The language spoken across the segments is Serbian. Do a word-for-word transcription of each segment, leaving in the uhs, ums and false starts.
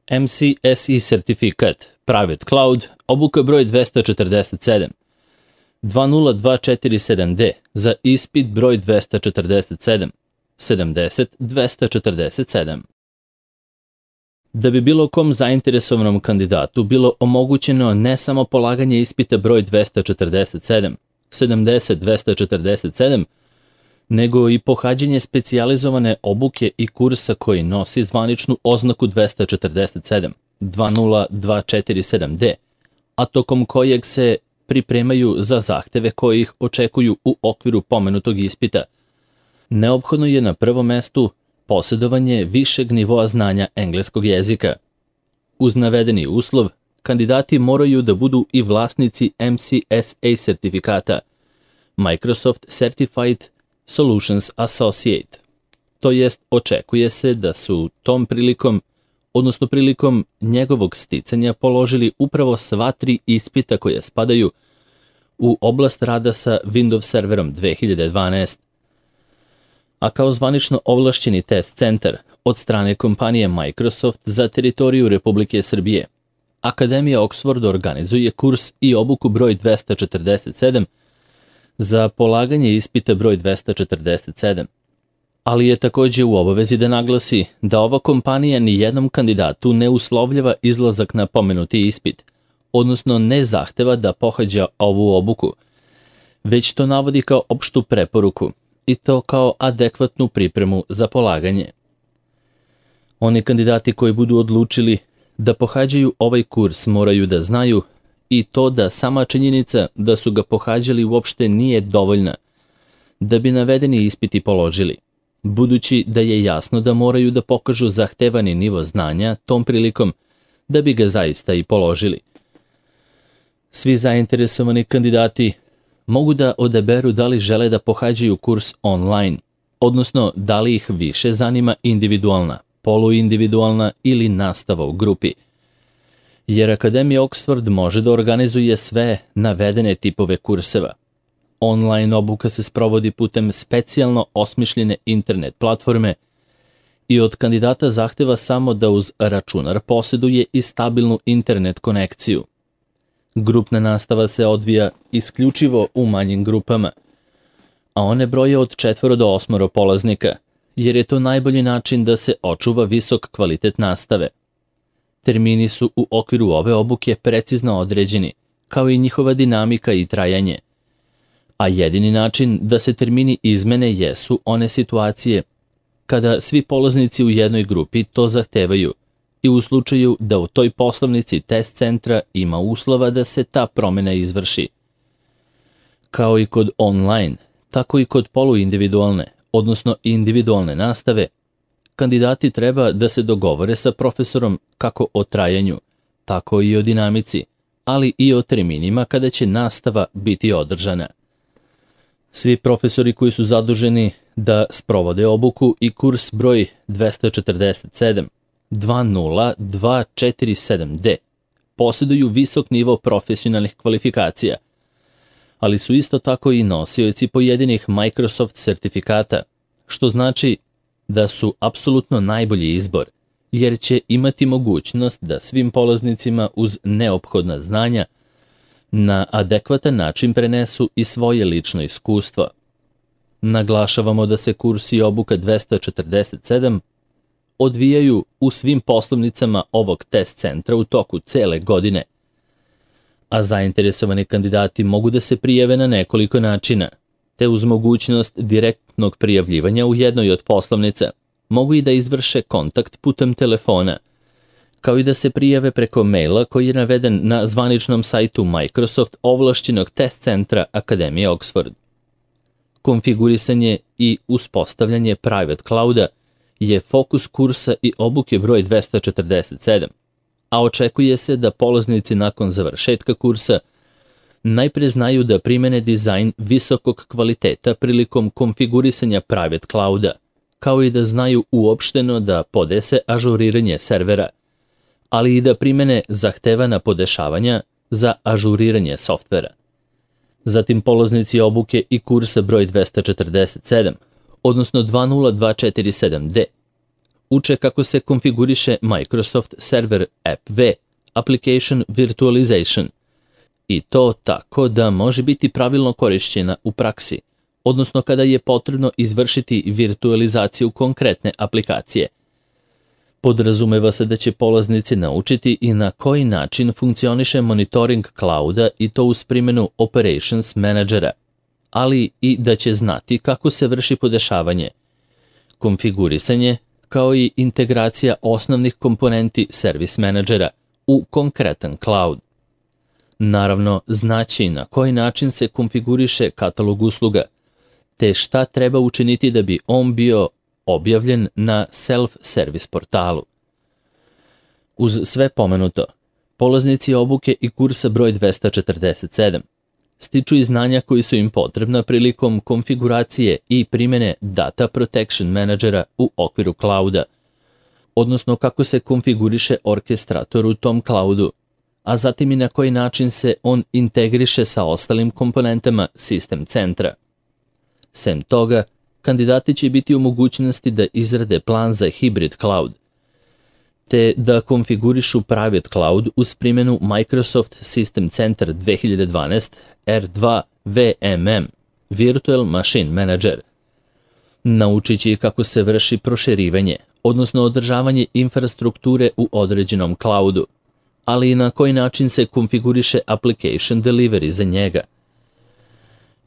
M C S E sertifikat, Private Cloud, obuka broj dvesta četrdeset sedam. dva nula dva četiri sedam D za ispit broj dvesta četrdeset sedam. sedamdeset dvesta četrdeset sedam. Da bi bilo kom zainteresovanom kandidatu bilo omogućeno ne samo polaganje ispita broj dvesta četrdeset sedam, sedamdeset dvesta četrdeset sedam, nego i pohađanje specijalizovane obuke i kursa koji nosi zvaničnu oznaku dvesta četrdeset sedam, dva nula dva četiri sedam D, a tokom kojeg se pripremaju za zahteve koji ih očekuju u okviru pomenutog ispita. Neophodno je na prvom mestu posjedovanje višeg nivoa znanja engleskog jezika. Uz navedeni uslov, kandidati moraju da budu i vlasnici M C S A sertifikata, Microsoft Certified Solutions Associate. To jest, očekuje se da su tom prilikom, odnosno prilikom njegovog sticanja položili upravo sva tri ispita koje spadaju u oblast rada sa Windows serverom dve hiljade dvanaest. A kao zvanično ovlašćeni test centar od strane kompanije Microsoft za teritoriju Republike Srbije, Akademija Oxford organizuje kurs i obuku broj dvesta četrdeset sedam za polaganje ispita broj dvesta četrdeset sedam. Ali je takođe u obavezi da naglasi da ova kompanija ni jednom kandidatu ne uslovljava izlazak na pomenuti ispit, odnosno ne zahteva da pohađa ovu obuku, već to navodi kao opštu preporuku i to kao adekvatnu pripremu za polaganje. Oni kandidati koji budu odlučili da pohađaju ovaj kurs moraju da znaju i to da sama činjenica da su ga pohađali uopšte nije dovoljna da bi navedeni ispiti položili, budući da je jasno da moraju da pokažu zahtevani nivo znanja tom prilikom da bi ga zaista i položili. Svi zainteresovani kandidati mogu da odaberu da li žele da pohađaju kurs online, odnosno da li ih više zanima individualna, poluindividualna ili nastava u grupi. Jer Akademija Oxford može da organizuje sve navedene tipove kurseva. Online obuka se sprovodi putem specijalno osmišljene internet platforme i od kandidata zahteva samo da uz računar posjeduje i stabilnu internet konekciju. Grupna nastava se odvija isključivo u manjim grupama, a one broje od četvoro do osmoro polaznika, jer je to najbolji način da se očuva visok kvalitet nastave. Termini su u okviru ove obuke precizno određeni, kao i njihova dinamika i trajanje. A jedini način da se termini izmene jesu one situacije kada svi polaznici u jednoj grupi to zahtevaju i u slučaju da u toj poslovnici test centra ima uslova da se ta promjena izvrši. Kao i kod online, tako i kod poluindividualne, odnosno individualne nastave, kandidati treba da se dogovore sa profesorom kako o trajanju, tako i o dinamici, ali i o terminima kada će nastava biti održana. Svi profesori koji su zaduženi da sprovode obuku i kurs broj dvesta četrdeset sedam, dva nula dva četiri sedam D posjeduju visok nivo profesionalnih kvalifikacija, ali su isto tako i nosioci pojedinih Microsoft sertifikata, što znači da su apsolutno najbolji izbor, jer će imati mogućnost da svim polaznicima uz neophodna znanja na adekvatan način prenesu i svoje lično iskustvo. Naglašavamo da se kurs i obuka dvesta četrdeset sedam odvijaju u svim poslovnicama ovog test centra u toku cele godine, a zainteresovani kandidati mogu da se prijave na nekoliko načina, te uz mogućnost direktnog prijavljivanja u jednoj od poslovnica mogu i da izvrše kontakt putem telefona, kao i da se prijave preko maila koji je naveden na zvaničnom sajtu Microsoft ovlašćenog test centra Akademije Oxford. Konfigurisanje i uspostavljanje Private Clouda je fokus kursa i obuke broj dvesta četrdeset sedam, a očekuje se da polaznici nakon završetka kursa najpre znaju da primene dizajn visokog kvaliteta prilikom konfigurisanja Private Clouda, kao i da znaju uopšteno da podese ažuriranje servera, ali i da primene zahtevana podešavanja za ažuriranje softvera. Zatim polaznici obuke i kursa broj dvesta četrdeset sedam, odnosno dva nula dva četiri sedam D, uče kako se konfiguriše Microsoft Server App V, Application Virtualization, i to tako da može biti pravilno korišćena u praksi, odnosno kada je potrebno izvršiti virtualizaciju konkretne aplikacije. Podrazumeva se da će polaznici naučiti i na koji način funkcioniše monitoring clouda i to uz primjenu Operations Managera, ali i da će znati kako se vrši podešavanje, konfigurisanje, kao i integracija osnovnih komponenti Service Managera u konkretan cloud. Naravno, znaći na koji način se konfiguriše katalog usluga, te šta treba učiniti da bi on bio objavljen na self-service portalu. Uz sve pomenuto, polaznici obuke i kursa broj dvesta četrdeset sedam stiču i znanja koji su im potrebna prilikom konfiguracije i primjene Data Protection Managera u okviru clouda, odnosno kako se konfiguriše orkestrator u tom cloudu, a zatim i na koji način se on integriše sa ostalim komponentama sistem centra. Sem toga, kandidati će biti u mogućnosti da izrade plan za hibrid cloud, te da konfigurišu private cloud uz primjenu Microsoft System Center dve hiljade dvanaest R dva V M M, Virtual Machine Manager. Naučit će kako se vrši proširivanje, odnosno održavanje infrastrukture u određenom cloudu, ali i na koji način se konfiguriše application delivery za njega.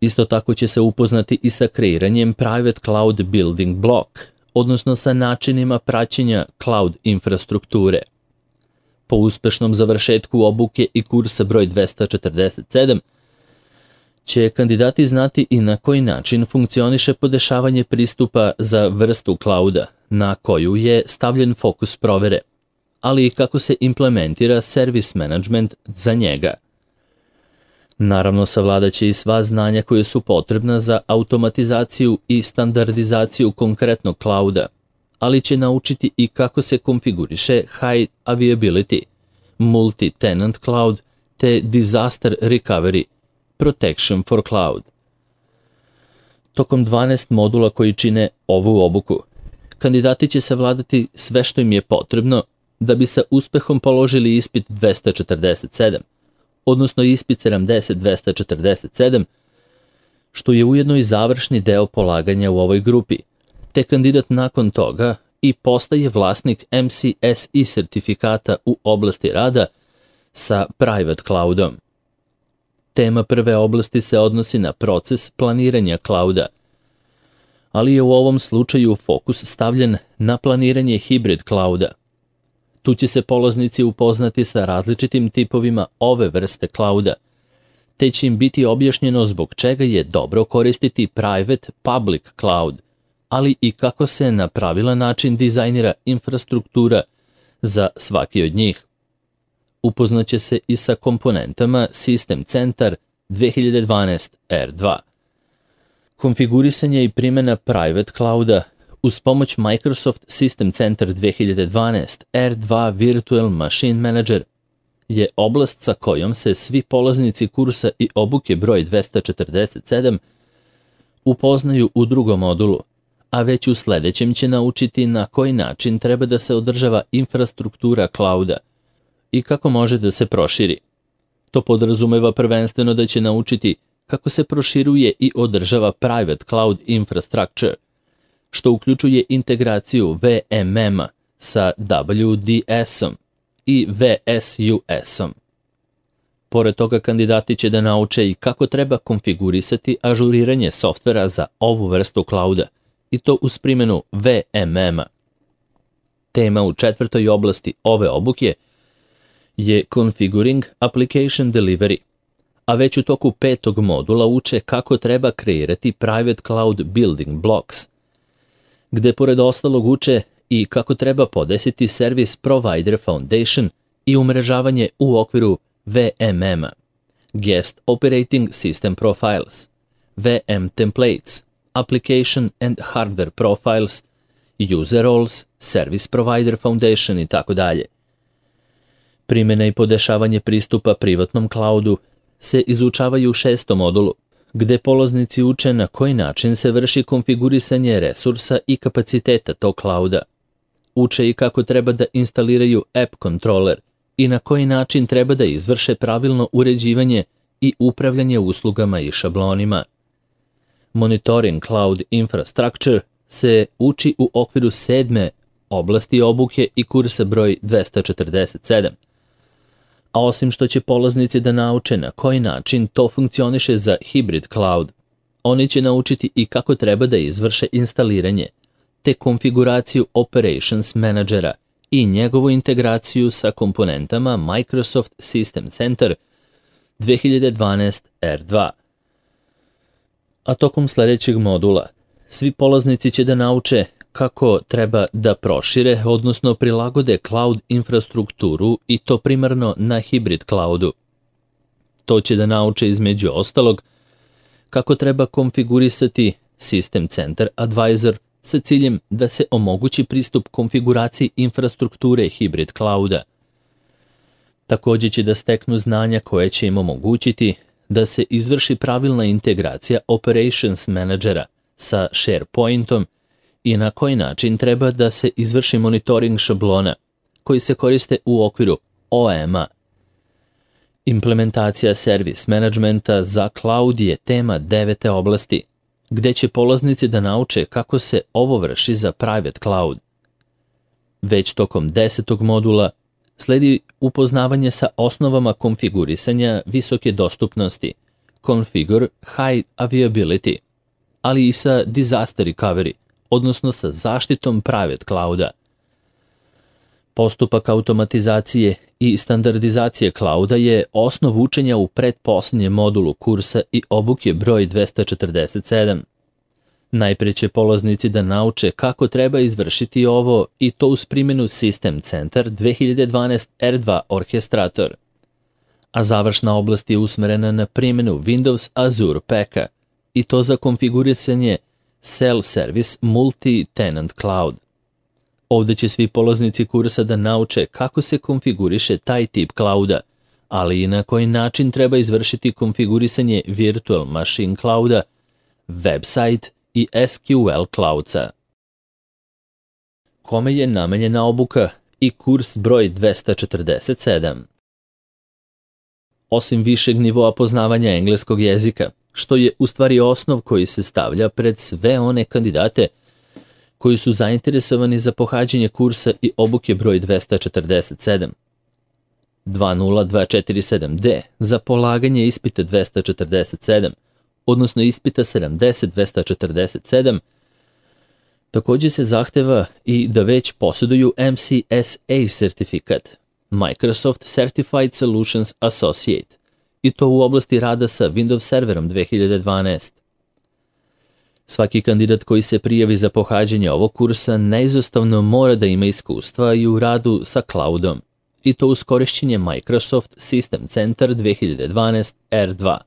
Isto tako će se upoznati i sa kreiranjem Private Cloud Building Block, odnosno sa načinima praćenja cloud infrastrukture. Po uspešnom završetku obuke i kursa broj dvesta četrdeset sedam, će kandidati znati i na koji način funkcioniše podešavanje pristupa za vrstu clouda, na koju je stavljen fokus provere, ali i kako se implementira service management za njega. Naravno, savladat će i sva znanja koje su potrebna za automatizaciju i standardizaciju konkretnog clouda, ali će naučiti i kako se konfiguriše High Availability, Multi-Tenant Cloud te Disaster Recovery, Protection for Cloud. Tokom dvanaest modula koji čine ovu obuku, kandidati će savladati sve što im je potrebno da bi sa uspehom položili ispit dvesta četrdeset sedam, odnosno ispit sedamdeset dvesta četrdeset sedam, što je ujedno i završni deo polaganja u ovoj grupi, te kandidat nakon toga i postaje vlasnik M C S E sertifikata u oblasti rada sa private cloudom. Tema prve oblasti se odnosi na proces planiranja clouda, ali je u ovom slučaju fokus stavljen na planiranje hibrid clouda. Tu će se polaznici upoznati sa različitim tipovima ove vrste clouda, te će im biti objašnjeno zbog čega je dobro koristiti private public cloud, ali i kako se na pravilan način dizajnira infrastruktura za svaki od njih. Upoznaće se i sa komponentama System Center dve hiljade dvanaest R dva. Konfigurisanje i primjena private clouda uz pomoć Microsoft System Center dve hiljade dvanaest R dva Virtual Machine Manager je oblast sa kojom se svi polaznici kursa i obuke broj dvesta četrdeset sedam upoznaju u drugom modulu, a već u sledećem će naučiti na koji način treba da se održava infrastruktura clouda i kako može da se proširi. To podrazumeva prvenstveno da će naučiti kako se proširuje i održava private cloud infrastructure, što uključuje integraciju V M M-a sa W D S-om i V S U S-om. Pored toga, kandidati će da nauče i kako treba konfigurisati ažuriranje softvera za ovu vrstu clouda, i to uz primjenu V M M-a. Tema u četvrtoj oblasti ove obuke je Configuring Application Delivery, a već u toku petog modula uče kako treba kreirati Private Cloud Building Blocks, gde pored ostalog uče i kako treba podesiti Service Provider Foundation i umrežavanje u okviru V M M-a, Guest Operating System Profiles, V M Templates, Application and Hardware Profiles, User Roles, Service Provider Foundation i tako dalje. Primjena i podešavanje pristupa privatnom cloudu se izučavaju u šestom modulu, gde polaznici uče na koji način se vrši konfigurisanje resursa i kapaciteta tog clouda, Uče i kako treba da instaliraju app kontroler i na koji način treba da izvrše pravilno uređivanje i upravljanje uslugama i šablonima. Monitoring Cloud Infrastructure se uči u okviru sedme oblasti obuke i kursa broj dvesta četrdeset sedam. A osim što će polaznici da nauče na koji način to funkcioniše za hybrid cloud, oni će naučiti i kako treba da izvrše instaliranje, te konfiguraciju Operations Managera i njegovu integraciju sa komponentama Microsoft System Center dve hiljade dvanaest R dva. A tokom sledećeg modula svi polaznici će da nauče kako treba da prošire, odnosno prilagode cloud infrastrukturu i to primarno na hybrid cloudu. To će da nauče između ostalog kako treba konfigurisati System Center Advisor sa ciljem da se omogući pristup konfiguraciji infrastrukture hybrid clouda. Takođe će da steknu znanja koje će im omogućiti da se izvrši pravilna integracija Operations Managera sa SharePointom i na koji način treba da se izvrši monitoring šablona koji se koriste u okviru O M-a. Implementacija servis menadžmenta za cloud je tema devete oblasti, gde će polaznici da nauče kako se ovo vrši za private cloud. Već tokom desetog modula sledi upoznavanje sa osnovama konfigurisanja visoke dostupnosti, Configure High Availability, ali i sa Disaster Recovery, odnosno sa zaštitom private clouda. Postupak automatizacije i standardizacije clouda je osnov učenja u pretposlednjem modulu kursa i obuke broj dvesta četrdeset sedam. Najpre će polaznici da nauče kako treba izvršiti ovo i to uz primjenu System Center dve hiljade dvanaest R dva Orchestrator, a završna oblast je usmerena na primjenu Windows Azure Packa i to za konfigurisanje Self-Service Multi-Tenant Cloud. Ovde će svi polaznici kursa da nauče kako se konfiguriše taj tip clouda, ali i na koji način treba izvršiti konfigurisanje Virtual Machine Clouda, website i S Q L Cloudsa. Kome je namenjena obuka i kurs broj dvesta četrdeset sedam? Osim višeg nivoa poznavanja engleskog jezika, što je u stvari osnov koji se stavlja pred sve one kandidate koji su zainteresovani za pohađanje kursa i obuke broj dvesta četrdeset sedam. dva nula dva četiri sedam D za polaganje ispita dvesta četrdeset sedam, odnosno ispita sedamdeset dvesta četrdeset sedam, takođe se zahteva i da već posjeduju M C S A sertifikat, Microsoft Certified Solutions Associate, i to u oblasti rada sa Windows serverom dve hiljade dvanaest. Svaki kandidat koji se prijavi za pohađanje ovog kursa neizostavno mora da ima iskustva i u radu sa cloudom, i to uz korišćenje Microsoft System Center dve hiljade dvanaest R dva.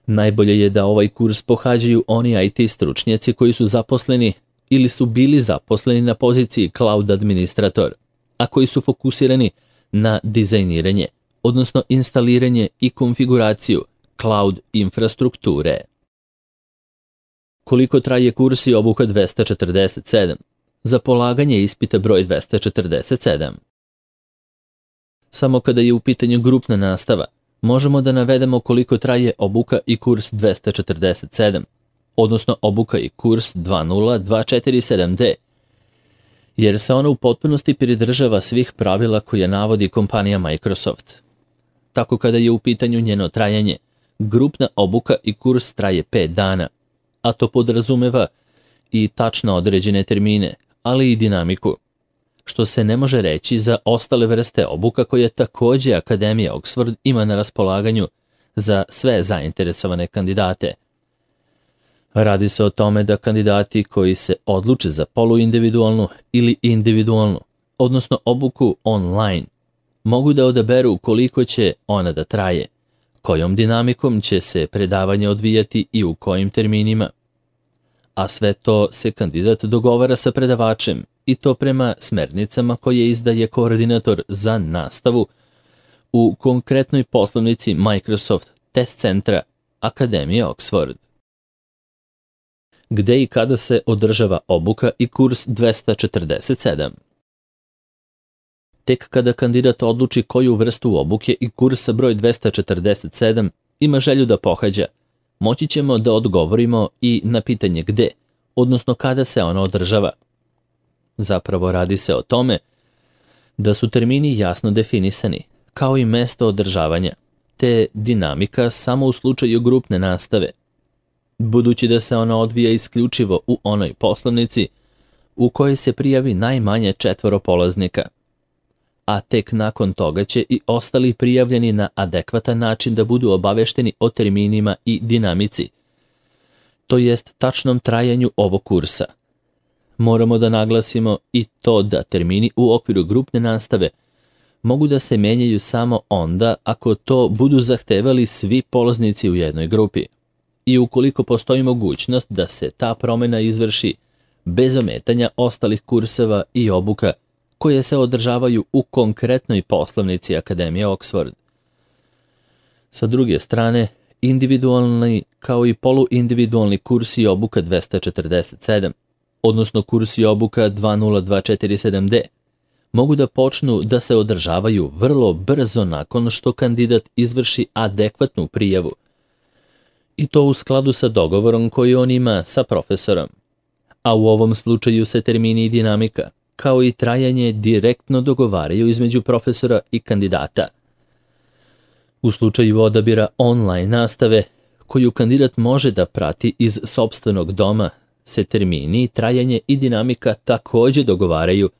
Najbolje je da ovaj kurs pohađaju oni I T stručnjaci koji su zaposleni ili su bili zaposleni na poziciji cloud administrator, a koji su fokusirani na dizajniranje, odnosno instaliranje i konfiguraciju cloud infrastrukture. Koliko traje kurs i obuka dvesta četrdeset sedam? Za polaganje ispita broj dvesta četrdeset sedam. Samo kada je u pitanju grupna nastava, možemo da navedemo koliko traje obuka i kurs dvesta četrdeset sedam, odnosno obuka i kurs dva nula dva četiri sedam D, jer se ona u potpunosti pridržava svih pravila koje navodi kompanija Microsoft. Tako kada je u pitanju njeno trajanje, grupna obuka i kurs traje pet dana, a to podrazumeva i tačno određene termine, ali i dinamiku, što se ne može reći za ostale vrste obuka koje takođe Akademija Oxford ima na raspolaganju za sve zainteresovane kandidate. Radi se o tome da kandidati koji se odluče za poluindividualnu ili individualnu, odnosno obuku online, mogu da odaberu koliko će ona da traje, kojom dinamikom će se predavanje odvijati i u kojim terminima. A sve to se kandidat dogovara sa predavačem i to prema smernicama koje izdaje koordinator za nastavu u konkretnoj poslovnici Microsoft Test Centra Akademije Oxford. Gde i kada se održava obuka i kurs dvesta četrdeset sedam? Tek kada kandidat odluči koju vrstu obuke i kursa broj dvesta četrdeset sedam ima želju da pohađa, moći ćemo da odgovorimo i na pitanje gde, odnosno kada se ona održava. Zapravo radi se o tome da su termini jasno definisani, kao i mesto održavanja, te dinamika samo u slučaju grupne nastave, budući da se ona odvija isključivo u onoj poslovnici u kojoj se prijavi najmanje četvoro polaznika, a tek nakon toga će i ostali prijavljeni na adekvatan način da budu obavešteni o terminima i dinamici, to jest tačnom trajanju ovog kursa. Moramo da naglasimo i to da termini u okviru grupne nastave mogu da se menjaju samo onda ako to budu zahtevali svi polaznici u jednoj grupi i ukoliko postoji mogućnost da se ta promena izvrši bez ometanja ostalih kurseva i obuka koje se održavaju u konkretnoj poslovnici Akademije Oxford. Sa druge strane, individualni kao i poluindividualni kurs i obuka dvesta četrdeset sedam, odnosno kurs i obuka dva nula dva četiri sedam D, mogu da počnu da se održavaju vrlo brzo nakon što kandidat izvrši adekvatnu prijavu, i to u skladu sa dogovorom koji on ima sa profesorom. A u ovom slučaju se termini i dinamika, kao i trajanje, direktno dogovaraju između profesora i kandidata. U slučaju odabira online nastave, koju kandidat može da prati iz sopstvenog doma, se termini, trajanje i dinamika takođe dogovaraju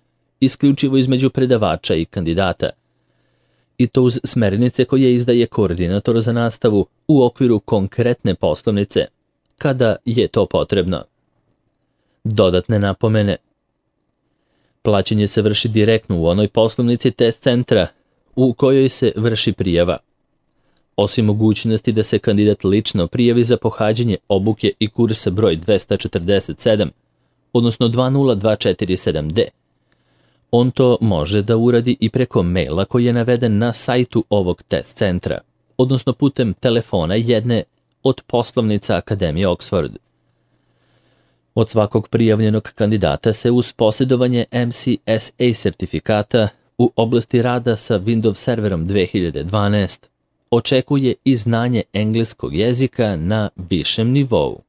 isključivo između predavača i kandidata, i to uz smernice koje izdaje koordinator za nastavu u okviru konkretne poslovnice, kada je to potrebno. Dodatne napomene. Plaćanje se vrši direktno u onoj poslovnici test centra u kojoj se vrši prijava. Osim mogućnosti da se kandidat lično prijavi za pohađanje obuke i kursa broj dvesta četrdeset sedam, odnosno dva nula dva četiri sedam D, on to može da uradi i preko maila koji je naveden na sajtu ovog test centra, odnosno putem telefona jedne od poslovnica Akademije Oxford. Od svakog prijavljenog kandidata se uz posjedovanje M C S A sertifikata u oblasti rada sa Windows serverom dve hiljade dvanaest očekuje i znanje engleskog jezika na višem nivou.